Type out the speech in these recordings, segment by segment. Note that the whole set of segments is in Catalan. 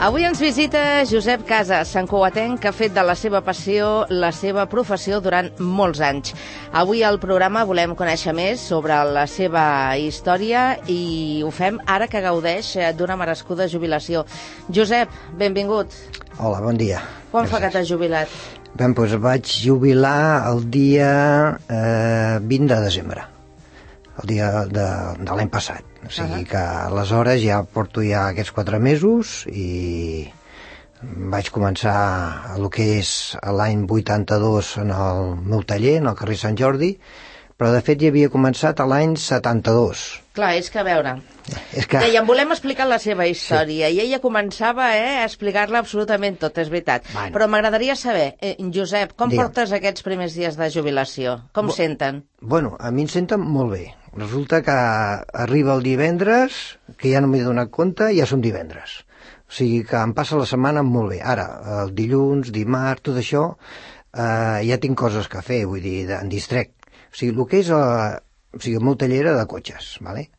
Avui ens visita Josep Casas, santcugatenc, que ha fet de la seva passió la seva professió durant molts anys. Avui al programa volem conèixer més sobre la seva història i ho fem ara que gaudeix d'una merescuda jubilació. Josep, benvingut. Hola, bon dia. Quan fa que t'has jubilat? Bé, doncs vaig jubilar el dia 20 de desembre, el dia de l'any passat. O sigui que aleshores ja porto ja aquests 4 mesos i vaig començar el que és l'any 82 en el meu taller, en el carrer Sant Jordi, però de fet ja havia començat l'any 72. Clar, és que a veure, dèiem, volem explicar la seva història, sí. I ella començava a explicar-la absolutament tot, és veritat. Bueno. Però m'agradaria saber, Josep, com portes aquests primers dies de jubilació? Com senten? Bueno, a mi em senten molt bé. Resulta que arriba el divendres, que ja no m'he donat compte, ja som divendres. O sigui que em passa la setmana molt bé. Ara, el dilluns, dimarts, tot això, ja tinc coses que fer, vull dir, em distrec. O sigui, el que és el meu taller era de cotxes, ¿vale?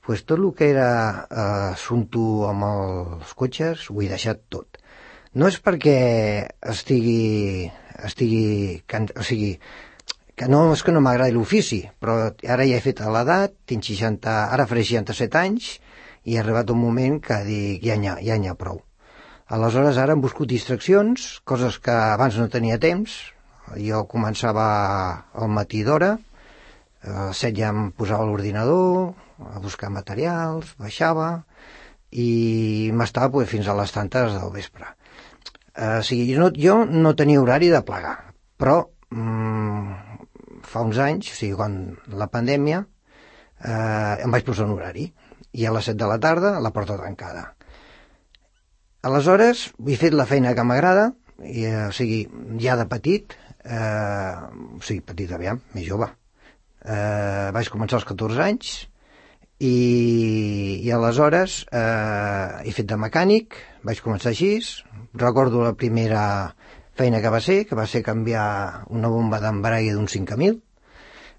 Pues tot el que era assumpte amb els cotxes ho he deixat tot. No és perquè estigui o sigui, que no és que no m'agradi l'ofici, però ara ja he fet l'edat, tinc 60, ara faré 67 anys, i ha arribat un moment que dic, ja n'hi ha prou. Aleshores, ara hem buscat distraccions, coses que abans no tenia temps. Jo començava al matí d'hora, a les 7 ja em posava a l'ordinador, a buscar materials, baixava, i m'estava fins a les tantes del vespre. O sigui, jo no tenia horari de plegar, però fa uns anys, o sigui, quan la pandèmia, em vaig posar un horari, i a les 7 de la tarda la porta tancada. Aleshores, he fet la feina que m'agrada, o sigui, ja de petit, petit aviam, més jove. Vaig començar als 14 anys, i aleshores he fet de mecànic, vaig començar així, recordo la primera feina que va ser canviar una bomba d'embrague d'un 5000,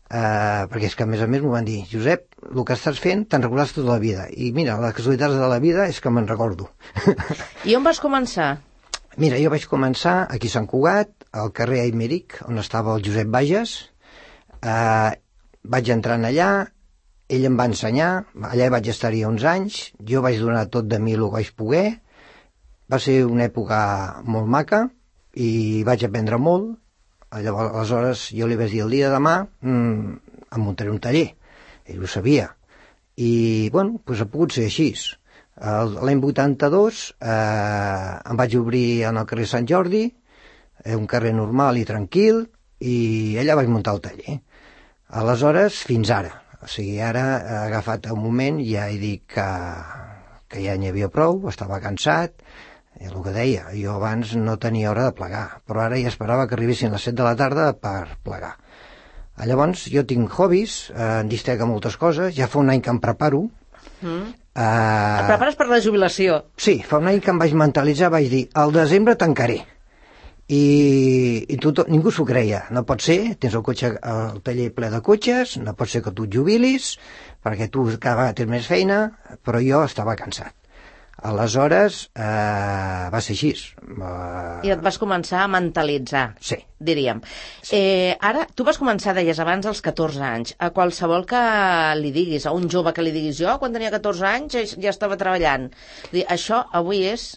perquè és que a més m'ho van dir, Josep, el que estàs fent te'n recordaràs tota la vida, i mira, les casualitats de la vida és que me'n recordo. I on vas començar? Mira, jo vaig començar aquí a Sant Cugat, al carrer Aimeric, on estava el Josep Bages. Vaig entrar allà, ell em va ensenyar, allà vaig estar-hi uns anys, jo vaig donar tot de mi el que vaig poder, va ser una època molt maca, i vaig aprendre molt. Llavors, aleshores jo li vaig dir el dia de demà em muntaré un taller, ell ho sabia, i bueno, doncs ha pogut ser així. L'any 82 em vaig obrir en el carrer Sant Jordi, un carrer normal i tranquil, i allà vaig muntar el taller. Aleshores, fins ara, o sigui, ara he agafat un moment i ja he dit que ja n'hi havia prou, estava cansat. El que deia, jo abans no tenia hora de plegar, però ara ja esperava que arribessin les 7 de la tarda per plegar. Llavors, jo tinc hobbies, em distrec a moltes coses, ja fa un any que em preparo. Et prepares per la jubilació? Sí, fa un any que em vaig mentalitzar, vaig dir, al desembre tancaré. I ningú s'ho creia, no pot ser, tens el taller ple de cotxes, no pot ser que tu et jubilis, perquè tu cada vegada tens més feina, però jo estava cansat. Aleshores, va ser així. I et vas començar a mentalitzar, sí. Diríem. Sí. Ara, tu vas començar, deies abans, als 14 anys. A qualsevol que li diguis, a un jove que li diguis, jo, quan tenia 14 anys, ja estava treballant. Això avui és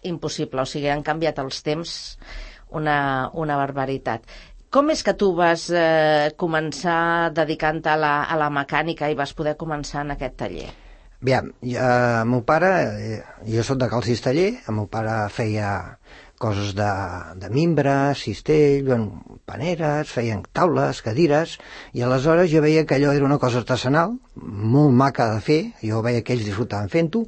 impossible, o sigui, han canviat els temps una barbaritat. Com és que tu vas començar dedicant-te a la mecànica i vas poder començar en aquest taller? Bé, el meu pare, jo soc de Cal Cisteller, el meu pare feia coses de mimbre, cistell, paneres, feien taules, cadires, i aleshores jo veia que allò era una cosa artesanal, molt maca de fer, jo veia que ells disfrutaven fent-ho,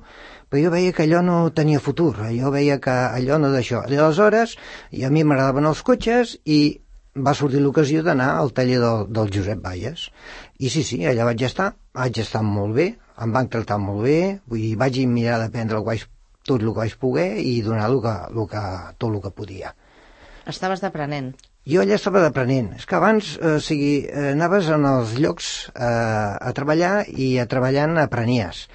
però jo veia que allò no tenia futur, jo veia que allò no d'això. I aleshores, a mi m'agradaven els cotxes i va sortir l'ocasió d'anar al taller del Josep Bages. I sí, allà vaig estar molt bé, em van tractar molt bé, vaig mirar d'aprendre tot el que vaig poder i donar tot el que podia. Estaves d'aprenent. Jo allà estava d'aprenent. És que abans, anaves en els llocs a treballar i treballant aprenies.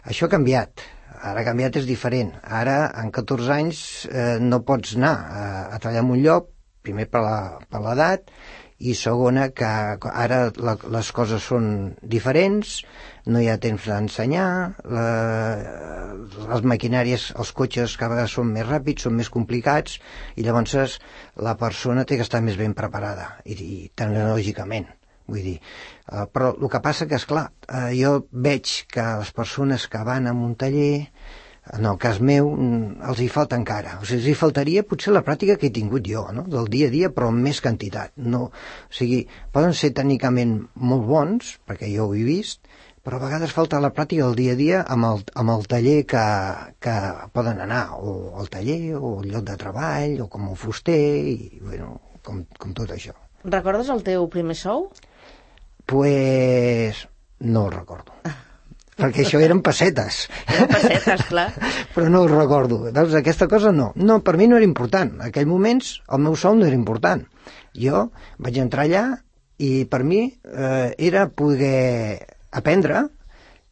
Això ha canviat. Ara ha canviat, és diferent. Ara, en 14 anys, no pots anar a treballar en un lloc, primer per l'edat, i segona, que ara les coses són diferents, no hi ha temps d'ensenyar, les maquinàries, els cotxes cada vegada són més ràpids, són més complicats, i llavors la persona té que estar més ben preparada, i tecnològicament. Vull dir, però el que passa que, esclar, jo veig que les persones que van a un taller, en el cas meu, els hi falta encara. O sigui, els hi faltaria potser la pràctica que he tingut jo, no? Del dia a dia, però amb més quantitat. No, o sigui, poden ser tècnicament molt bons, perquè jo ho he vist, però a vegades falta la pràctica del dia a dia amb el taller que poden anar, o al taller, o al lloc de treball, o com a fuster, i, bueno, com tot això. Recordes el teu primer sou? Pues no el recordo. Perquè això eren pessetes. Eren pessetes, clar. Però no ho recordo. Veus, aquesta cosa no. No, per mi no era important. En aquells moments el meu sou no era important. Jo vaig entrar allà i per mi era poder aprendre,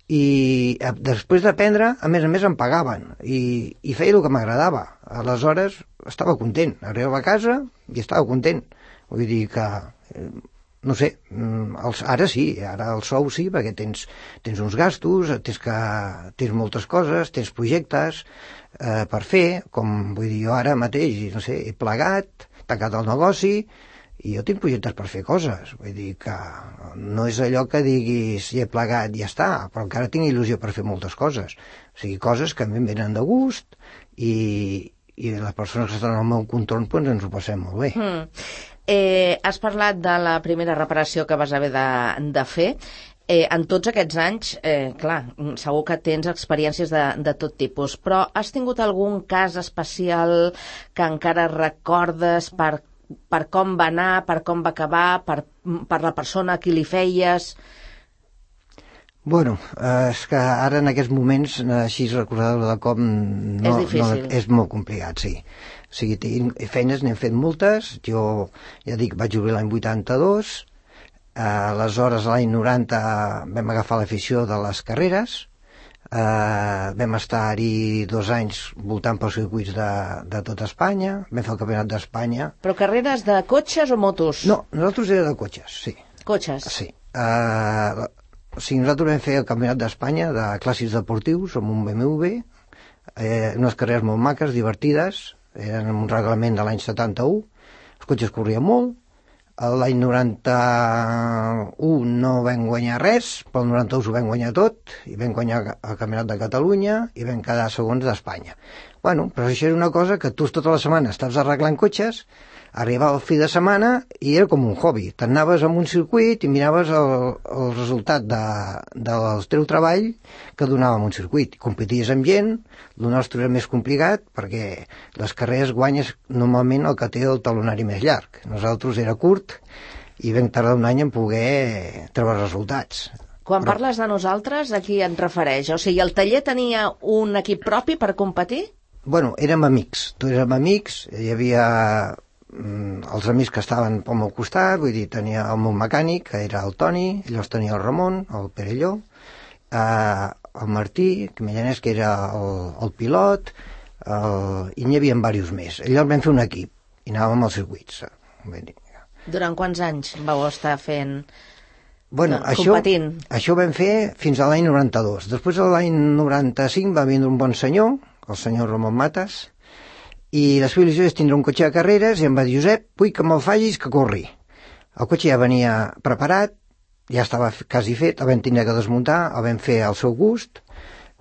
i després d'aprendre, a més em pagaven i feia el que m'agradava. Aleshores estava content. Arribava a casa i estava content. Vull dir que... no sé, ara sí, ara el sou sí, perquè tens uns gastos, tens moltes coses, tens projectes per fer, com vull dir jo ara mateix, no sé, he plegat, tancat el negoci, i jo tinc projectes per fer coses, vull dir que no és allò que diguis ja he plegat i ja està, però encara tinc il·lusió per fer moltes coses, o sigui, coses que a mi em venen de gust i les persones que estan al meu contorn doncs ens ho passem molt bé. Has parlat de la primera reparació que vas haver de fer. En tots aquests anys, clar, segur que tens experiències de tot tipus, però has tingut algun cas especial que encara recordes per com va anar, per com va acabar, per la persona a qui li feies? Bueno, és que ara en aquests moments, així recordar-ho de com... És difícil. És molt complicat, sí. O sigui, feines n'hem fet moltes. Jo, ja dic, vaig obrir l'any 82. Aleshores, l'any 90 vam agafar l'afició de les carreres. Vam estar-hi 2 anys voltant pels circuits de tot Espanya. Vam fer el campionat d'Espanya. Però carreres de cotxes o motos? No, nosaltres era de cotxes, sí. Cotxes? Sí. O sigui, nosaltres vam fer el campionat d'Espanya de clàssics deportius amb un BMW, unes carreres molt maques, divertides, eren un reglament de l'any 71, els cotxes corrien molt, l'any 91 no vam guanyar res, però el 92 ho vam guanyar tot, i vam guanyar el campionat de Catalunya i vam quedar segons d'Espanya. Bueno, però això era una cosa que tu tota la setmana estaves arreglant cotxes, arribava el fi de setmana i era com un hobby. T'anaves a un circuit i miraves el resultat del teu treball que donava un circuit. Competies amb gent, el nostre era més complicat perquè les carreres guanyes normalment el que té el talonari més llarg. Nosaltres era curt i vam tardar un any en poder treure resultats. Quan parles de nosaltres, a qui et refereix? O sigui, el taller tenia un equip propi per competir? Bueno, érem amics. Tots érem amics, hi havia els amics que estaven pel meu costat, vull dir, tenia el meu mecànic, que era el Toni, llavors tenia el Ramon, el Perelló, el Martí, Millanès, que era el pilot, i n'hi havia diversos més. Llavors vam fer un equip i anàvem als circuits. Durant quants anys vau estar fent... Bueno, competint? Això ho vam fer fins a l'any 92. Després de l'any 95 va vindre un bon senyor, el senyor Ramon Matas, i la seva il·lusió és tindre un cotxe de carreres i em va dir, Josep, vull que me'l facis que corri. El cotxe ja venia preparat, ja estava quasi fet, el vam tenir que desmuntar, el vam fer al seu gust,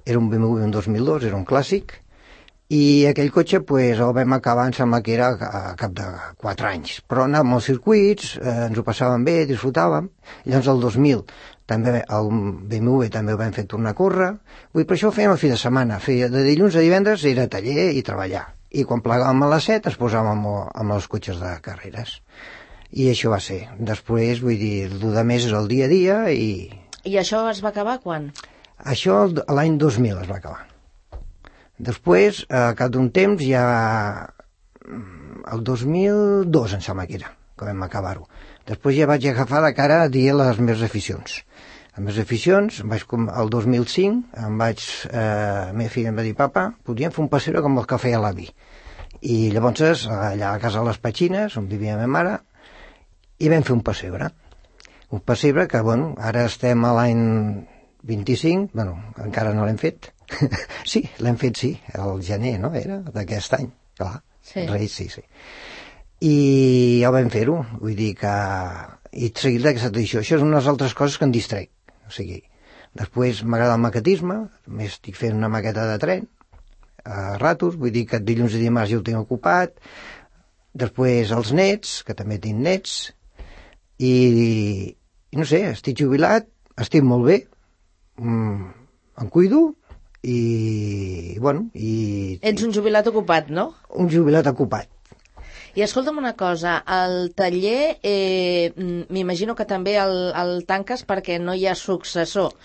era un BMW un 2002, era un clàssic, i aquell cotxe pues, el vam acabar, em sembla que era a cap de 4 anys, però anàvem als circuits, ens ho passàvem bé, disfrutàvem, i llavors el 2000 també el BMW també ho vam fer tornar a córrer, per això ho fèiem el fi de setmana, de dilluns a divendres era taller i treballar, i quan plegàvem a les 7 es posàvem amb els cotxes de carreres, i això va ser. Després, vull dir, el de més és el dia a dia i... I això es va acabar quan? Això l'any 2000 es va acabar. Després, a cap d'un temps, ja el 2002 em sembla que era, que vam acabar-ho. Després ja vaig agafar de cara a dir les meves aficions. les meves aficions, el 2005 la meva filla em va dir, papa, podríem fer un pessebre com el que feia l'avi. I llavors allà a casa de les Petxines, on vivia la meva mare, i vam fer un pessebre. Un pessebre que, bueno, ara estem a l'any 25, bueno, encara no l'hem fet. Sí, l'hem fet, sí, el gener, no? Era d'aquest any, clar. Sí. Reis, sí. I ja vam fer-ho, vull dir que... I seguir d'aquesta tradició. Això és unes altres coses que em distrec. O sigui, després m'agrada el maquetisme, més estic fent una maqueta de tren, a ratos, vull dir que dilluns i dimarts ja ho tinc ocupat. Després els nets, que també tinc nets, i no sé, estic jubilat, estic molt bé, em cuido i, bueno... Ets un jubilat ocupat, no? Un jubilat ocupat. I escolta'm una cosa, el taller m'imagino que també el tanques perquè no hi ha successor,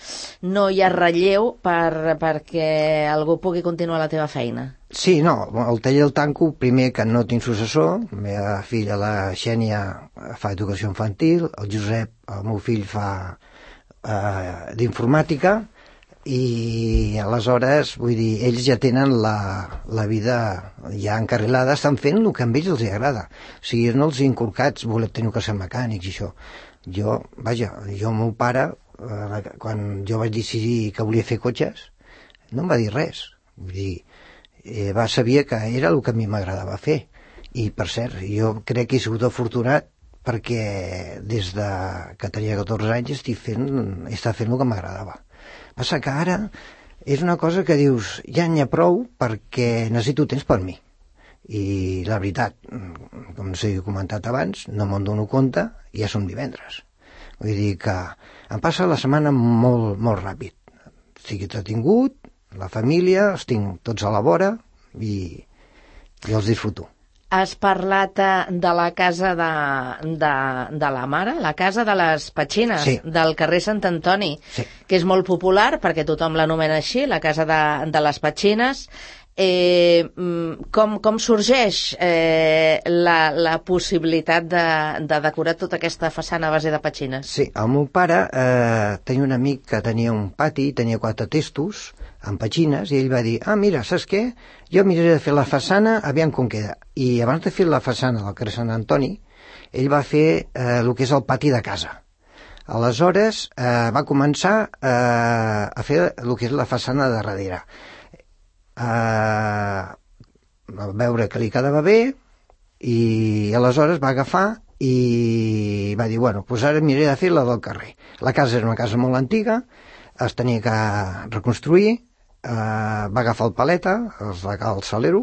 no hi ha relleu perquè algú pugui continuar la teva feina. Sí, no, el taller el tanco primer que no tinc successor, la meva filla, la Xènia, fa educació infantil, el Josep, el meu fill, fa d'informàtica, i aleshores, vull dir, ells ja tenen la vida ja encarrilada, estan fent el que a ells els agrada. O sigui, no els inculcats voler tenir que ser mecànics i això. Jo, el meu pare, quan jo vaig decidir que volia fer cotxes, no em va dir res. Vull dir, sabia que era el que a mi m'agradava fer. I, per cert, jo crec que he sigut afortunat perquè des que tenia 14 anys estic fent el que m'agradava. Passa que ara és una cosa que dius, ja n'hi ha prou perquè necessito temps per mi. I la veritat, com s'he comentat abans, no me'n dono compte i ja som divendres. Vull dir que em passa la setmana molt, molt ràpid. Estic entretingut, la família, els tinc tots a la vora i els disfruto. Has parlat de la casa de la mare, la casa de les Petxines, sí, del carrer Sant Antoni, sí, que és molt popular perquè tothom l'anomena així, la casa de les Petxines. Com sorgeix la possibilitat de decorar tota aquesta façana a base de petxines? Sí, el meu pare tenia un amic que tenia un pati, tenia 4 testos amb petxines, i ell va dir, mira, saps què? Jo miraré de fer la façana, aviam com queda. I abans de fer la façana del carrer Sant Antoni, ell va fer el que és el pati de casa. Aleshores va començar a fer el que és la façana de darrere. A veure que li quedava bé, i aleshores va agafar i va dir, bueno, doncs ara miraré de fer la del carrer. La casa era una casa molt antiga, es tenia que reconstruir, va agafar el paleta, el salero,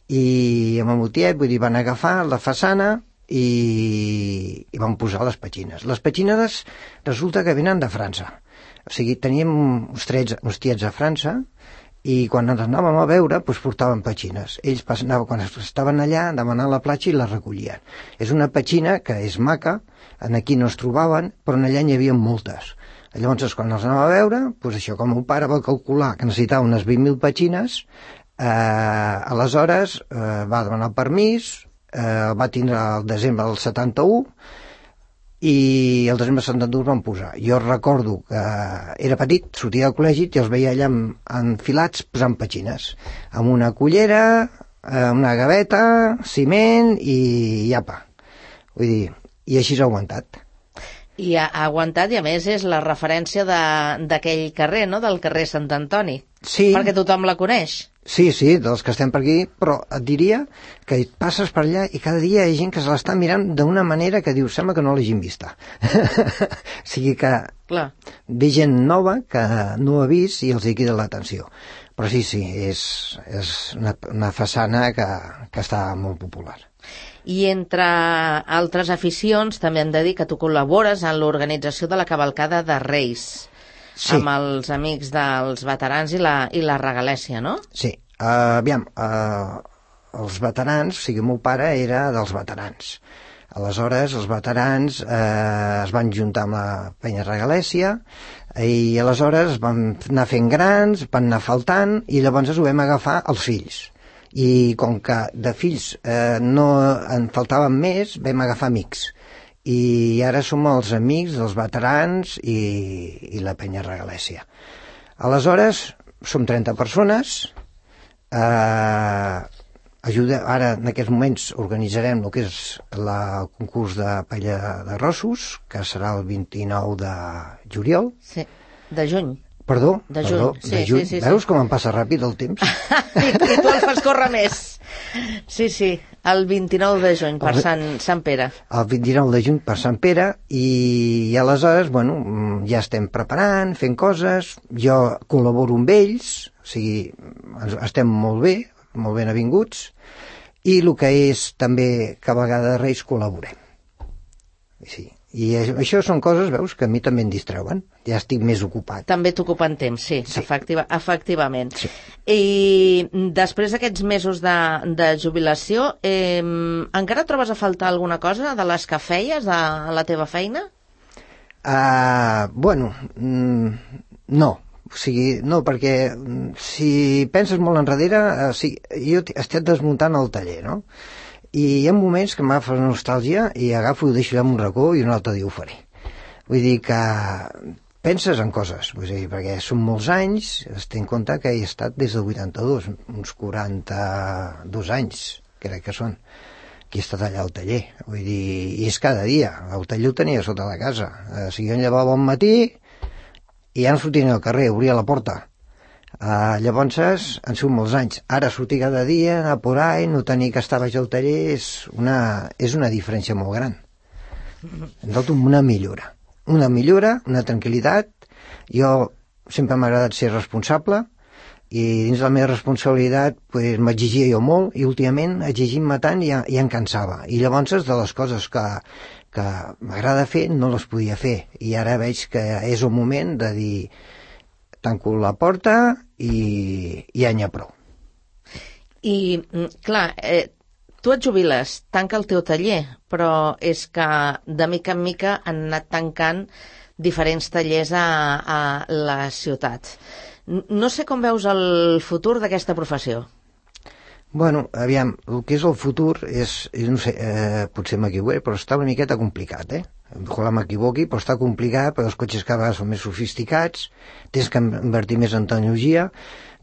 i amb el motiet, vull dir, van agafar la façana i van posar les petxines. Les petxines resulta que venen de França. O sigui, teníem uns tiets a França, i quan ens anàvem a veure, doncs portaven petxines. Ells quan estaven allà, demanant la platja i la recollien. És una petxina que és maca, aquí no es trobaven, però allà n'hi havia moltes. Llavors, quan els anava a veure, doncs això, com el meu pare va calcular que necessitava unes 20.000 petxines, aleshores va demanar el permís, va tindre el desembre del 71, i el desembre del 72 van posar. Jo recordo que era petit, sortia del col·legi i els veia allà enfilats posant petxines, amb una cullera, una gaveta, ciment i apa. Vull dir, i així s'ha aguantat. I ha aguantat, i a més és la referència d'aquell carrer, no?, del carrer Sant Antoni. Sí. Perquè tothom la coneix. Sí, dels que estem per aquí, però et diria que passes per allà i cada dia hi ha gent que se l'està mirant d'una manera que diu, sembla que no l'hagin vista. O sigui que ve gent nova que no ha vist i els hi crida l'atenció. Però sí, és una façana que està molt popular. I entre altres aficions també hem de dir que tu col·labores en l'organització de la cavalcada de Reis, sí, amb els amics dels veterans i la regalèssia, no? Sí, aviam, els veterans, o sigui, el meu pare era dels veterans. Aleshores, els veterans es van juntar amb la penya regalèssia i aleshores van anar fent grans, van anar faltant i llavors ho vam agafar els fills. I com que de fills no en faltaven més, vam agafar amics. i ara som els amics dels veterans i la penya regalèssia. Aleshores, som 30 persones, ara en aquests moments organitzarem el que és el concurs de paella de rossos, que serà el 29 de juliol. Sí, de juny. Perdó, de juny. De juny. Sí. Veus com em passa ràpid el temps? I tu el fas córrer més. Sí, el 29 de juny per Sant Pere. El 29 de juny per Sant Pere i aleshores, ja estem preparant, fent coses, jo col·laboro amb ells, o sigui, estem molt ben avinguts, i el que és també que a vegades Reis col·laborem. Sí. I això són coses, veus, que a mi també em distreuen. Ja estic més ocupat. També t'ocupen temps, sí. Efectivament. Sí. I després d'aquests mesos de jubilació, encara trobes a faltar alguna cosa de les que feies a la teva feina? No. O sigui, no, perquè si penses molt enrere, jo estic desmuntant el taller, no? I hi ha moments que m'agafa nostàlgia i agafo i ho deixo allà en un racó i un altre dia ho faré. Vull dir que penses en coses, perquè són molts anys, es té en compte que he estat des del 82, uns 42 anys, crec que són, que he estat allà al taller. Vull dir, i és cada dia, el taller ho tenia sota la casa. O sigui, jo em llevava al matí i ja no sortia al carrer, obria la porta. Llavors han sigut molts anys. Ara sortir cada dia, anar por ahí, no tenir que estar baix al taller és una diferència molt gran. Noto una millora, una tranquil·litat. Jo sempre m'ha agradat ser responsable i dins la meva responsabilitat m'exigia jo molt i últimament exigint-me tant ja em cansava. I llavors de les coses que m'agrada fer no les podia fer i ara veig que és el moment de dir tanco la porta i ja n'hi ha prou. I, clar, tu et jubiles, tanca el teu taller, però és que de mica en mica han anat tancant diferents tallers a la ciutat. No sé com veus el futur d'aquesta professió. Aviam, el que és el futur és, no sé, potser m'equivocaré, però està una miqueta complicat, Ojalà m'equivoqui, però està complicat, perquè els cotxes cada vegada són més sofisticats, tens que invertir més en tecnologia.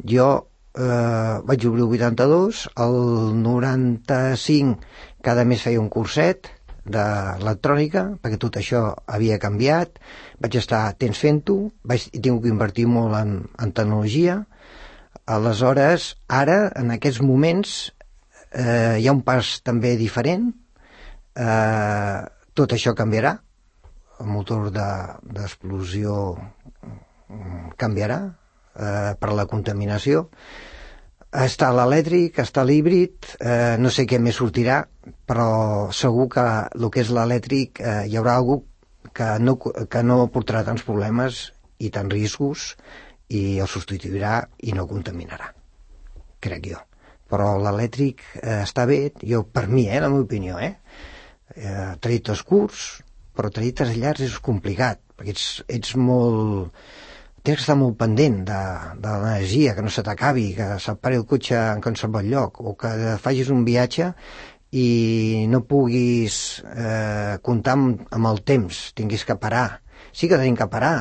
Jo vaig obrir el 82, el 95 cada mes feia un curset d'electrònica, perquè tot això havia canviat, vaig estar temps fent-ho, he tingut que invertir molt en tecnologia. Aleshores, ara, en aquests moments, hi ha un pas també diferent, tot això canviarà, el motor d'explosió canviarà per la contaminació, està l'elèctric, està l'híbrid, no sé què més sortirà, però segur que el que és l'elèctric hi haurà algú que no portarà tants problemes i tants riscos i el substituirà i no contaminarà, crec jo. Però l'elèctric està bé, per mi, la meva opinió, trajectes curts, però trajectes llargs és complicat, perquè ets molt... tens que estar molt pendent de l'energia, que no se t'acabi, que se't pari el cotxe en qualsevol lloc, o que facis un viatge i no puguis comptar amb el temps, tinguis que parar. Sí que tenim que parar,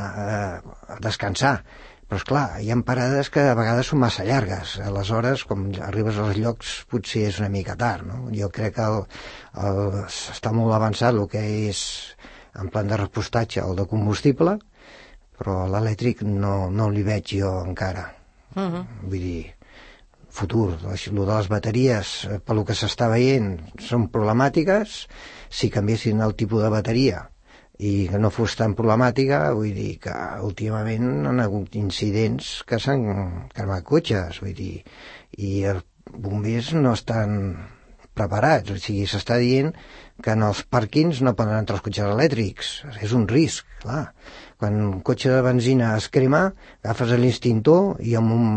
a descansar, però esclar, hi ha parades que a vegades són massa llargues, aleshores quan arribes als llocs potser és una mica tard, no? Jo crec que està molt avançat el que és en plan de repostatge o de combustible, però l'elèctric no li veig jo encara. Vull dir, futur, el de les bateries, pel que s'està veient, són problemàtiques. Si canviessin el tipus de bateria i que no fos tan problemàtica, vull dir que últimament han hagut incidents que s'han cremat cotxes, vull dir, i els bombers no estan preparats, o sigui, s'està dient que en els pàrquings no poden entrar els cotxes elèctrics, és un risc, clar. Quan un cotxe de benzina es crema, agafes l'instintor i en un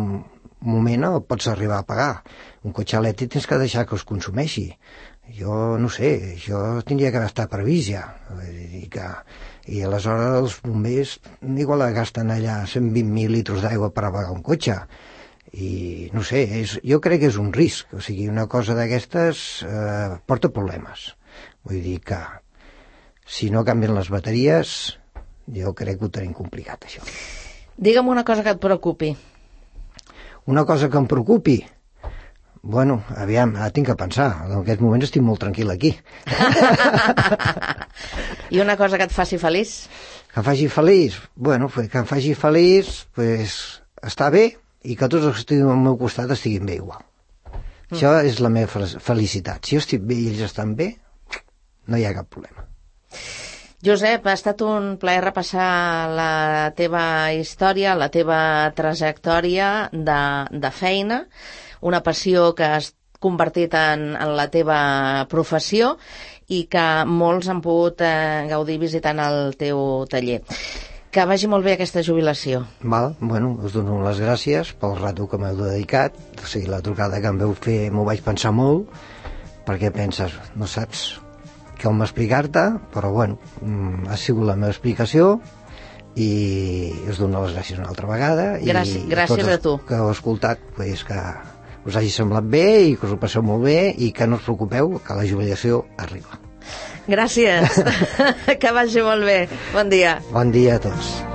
moment el pots arribar a apagar. Un cotxe elèctric tens que deixar que es consumeixi. Jo no sé, això tindria que estar previst ja. I aleshores els bombers igual gasten allà 120.000 litres d'aigua per apagar un cotxe. I no sé, jo crec que és un risc. O sigui, una cosa d'aquestes porta problemes. Vull dir que si no canvien les bateries, jo crec que ho tenim complicat, això. Digue'm una cosa que et preocupi. Una cosa que em preocupi? Bueno, aviam, ara tinc que pensar. En aquest moment estic molt tranquil aquí. I una cosa que et faci feliç? Que em faci feliç? Bueno, que em faci feliç, pues, està bé, i que tots els que estiguin al meu costat estiguin bé igual. Això és la meva felicitat. Si jo estic bé i ells estan bé, no hi ha cap problema. Josep, ha estat un plaer repassar la teva història, la teva trajectòria de feina, una passió que has convertit en la teva professió i que molts han pogut gaudir visitant el teu taller. Que vagi molt bé aquesta jubilació. Val, bueno, us dono les gràcies pel rato que m'heu dedicat. O sigui, la trucada que em veu fer m'ho vaig pensar molt, perquè penses, no saps com explicar-te, però bueno, ha sigut la meva explicació i us dono les gràcies una altra vegada. Gràcies a tu. Que heu escoltat, pues, que us hagi semblat bé i que us ho passeu molt bé i que no us preocupeu, que la jubilació arriba. Gràcies. Que vagi molt bé. Bon dia. Bon dia a tots.